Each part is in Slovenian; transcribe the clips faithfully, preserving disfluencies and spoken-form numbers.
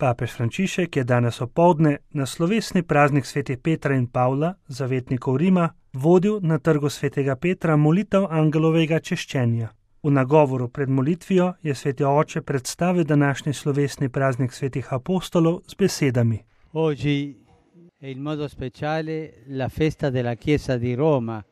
Papež Frančišek je danes opoldne na slovesni praznik svetih Petra in Pavla, zavetnikov Rima, vodil na trgu svetega Petra molitev angelovega češčenja. V nagovoru pred molitvijo je sveti oče predstavil današnji slovesni praznik svetih apostolov z besedami. Oggi è in modo speciale la festa della Chiesa di Roma,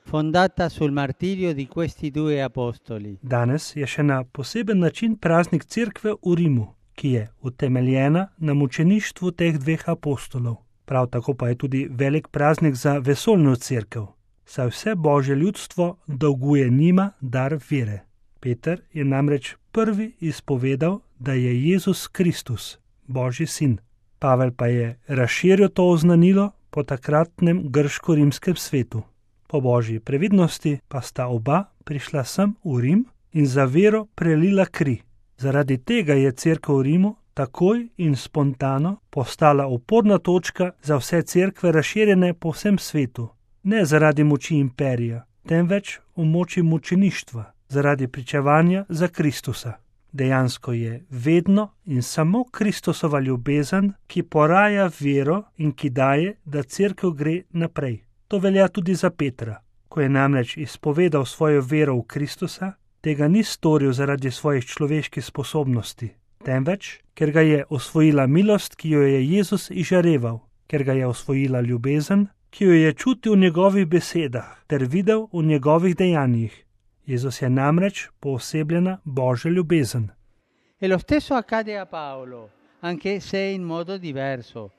fondata sul martirio di questi due apostoli. Danes je še na poseben način praznik cerkve v Rimu, ki je utemeljena na mučeništvu teh dveh apostolov. Prav tako pa je tudi velik praznik za vesoljno cerkev, saj vse božje ljudstvo dolguje njima dar vere. Peter je namreč prvi izpovedal, da je Jezus Kristus, Božji sin. Pavel pa je razširil to oznanilo po takratnem grško-rimskem svetu. Po božji previdnosti pa sta oba prišla sem v Rim in za vero prelila kri. Zaradi tega je cerkev v Rimu takoj in spontano postala oporna točka za vse cerkve razširjene po vsem svetu. Ne zaradi moči imperija, temveč v moči mučeništva, zaradi pričevanja za Kristusa. Dejansko je vedno in samo Kristusova ljubezen, ki poraja vero in ki daje, da cerkev gre naprej. To velja tudi za Petra. Ko je namreč izpovedal svojo vero v Kristusa, tega ni storil zaradi svojih človeških sposobnosti, temveč, ker ga je osvojila milost, ki jo je Jezus izžareval, ker ga je osvojila ljubezen, ki jo je čutil v njegovih besedah ter videl v njegovih dejanjih. Jezus je namreč poosebljena Božja ljubezen. E lo stesso accade a Paolo, anche se in modo diverso.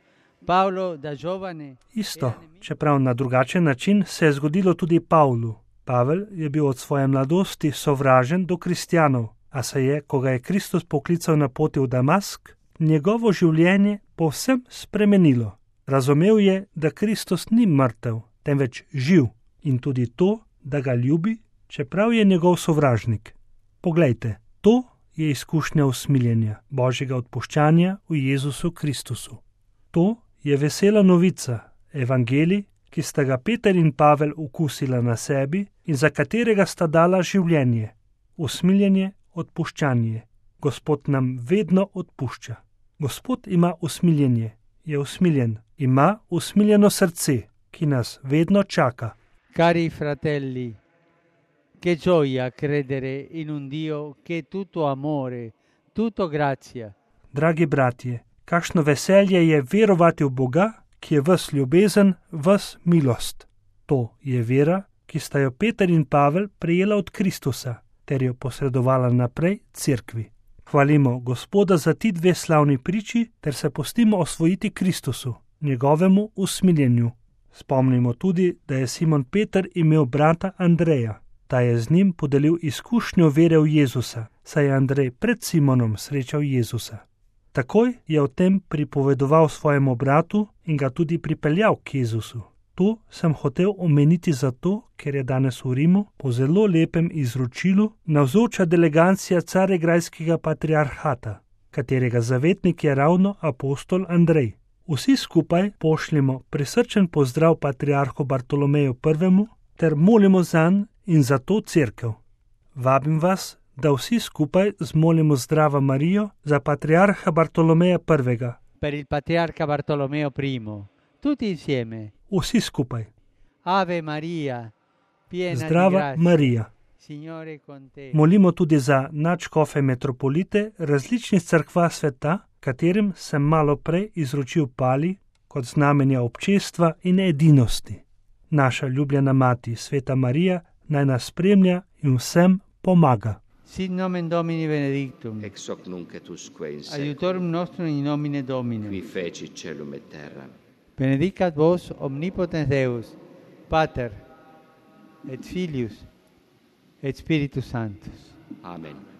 Paolo da giovane... Isto, čeprav na drugačen način, se je zgodilo tudi Pavlu. Pavel je bil od svoje mladosti sovražen do kristjanov, a se je, ko ga je Kristus poklical na poti v Damask, njegovo življenje povsem spremenilo. Razumel je, da Kristus ni mrtev, temveč živ, in tudi to, da ga ljubi, čeprav je njegov sovražnik. Poglejte, to je izkušnja usmiljenja, Božjega odpuščanja v Jezusu Kristusu. To je vesela novica, evangelij, ki sta ga Peter in Pavel okusila na sebi in za katerega sta dala življenje. Usmiljenje, odpuščanje. Gospod nam vedno odpušča. Gospod ima usmiljenje, je usmiljen, ima usmiljeno srce, ki nas vedno čaka. Cari fratelli, che gioia credere in un Dio che è tutto amore, tutto grazia. Dragi bratje, kakšno veselje je verovati v Boga, ki je ves ljubezen, ves milost. To je vera, ki sta jo Peter in Pavel prejela od Kristusa, ter jo posredovala naprej cerkvi. Hvalimo Gospoda za ti dve slavni priči, ter se pustimo osvojiti Kristusu, njegovemu usmiljenju. Spomnimo tudi, da je Simon Peter imel brata Andreja. Ta je z njim podelil izkušnjo vere v Jezusa, saj je Andrej pred Simonom srečal Jezusa. Takoj je o tem pripovedoval svojemu bratu in ga tudi pripeljal k Jezusu. To sem hotel omeniti zato, ker je danes v Rimu po zelo lepem izročilu navzoča delegacija caregrajskega patriarhata, katerega zavetnik je ravno apostol Andrej. Vsi skupaj pošljemo prisrčen pozdrav patriarhu Bartolomeju prvemu ter molimo zanj in za to cerkev. Vabim vas, da vsi skupaj zmolimo Zdravo Marijo za patriarha Bartolomeja prvega. Per il patriarca Bartolomeo primo. Tutti insieme. Vsi skupaj. Ave Maria, piena Zdrava di grazia. Marija. Signore con te. Molimo tudi za nadškofe metropolite različnih cerkva sveta, katerim sem malo prej izročil pali kot znamenja občestva in edinosti. Naša ljubljena mati, sveta Marija, naj nas spremlja in vsem pomaga. Sit nomen Domini benedictum. Ex hoc nunc et usque in Aiutorium nostrum in nomine Domini. qui feci celum et terra. Benedicat vos omnipotens Deus, Pater et Filius et Spiritus Sanctus. Amen.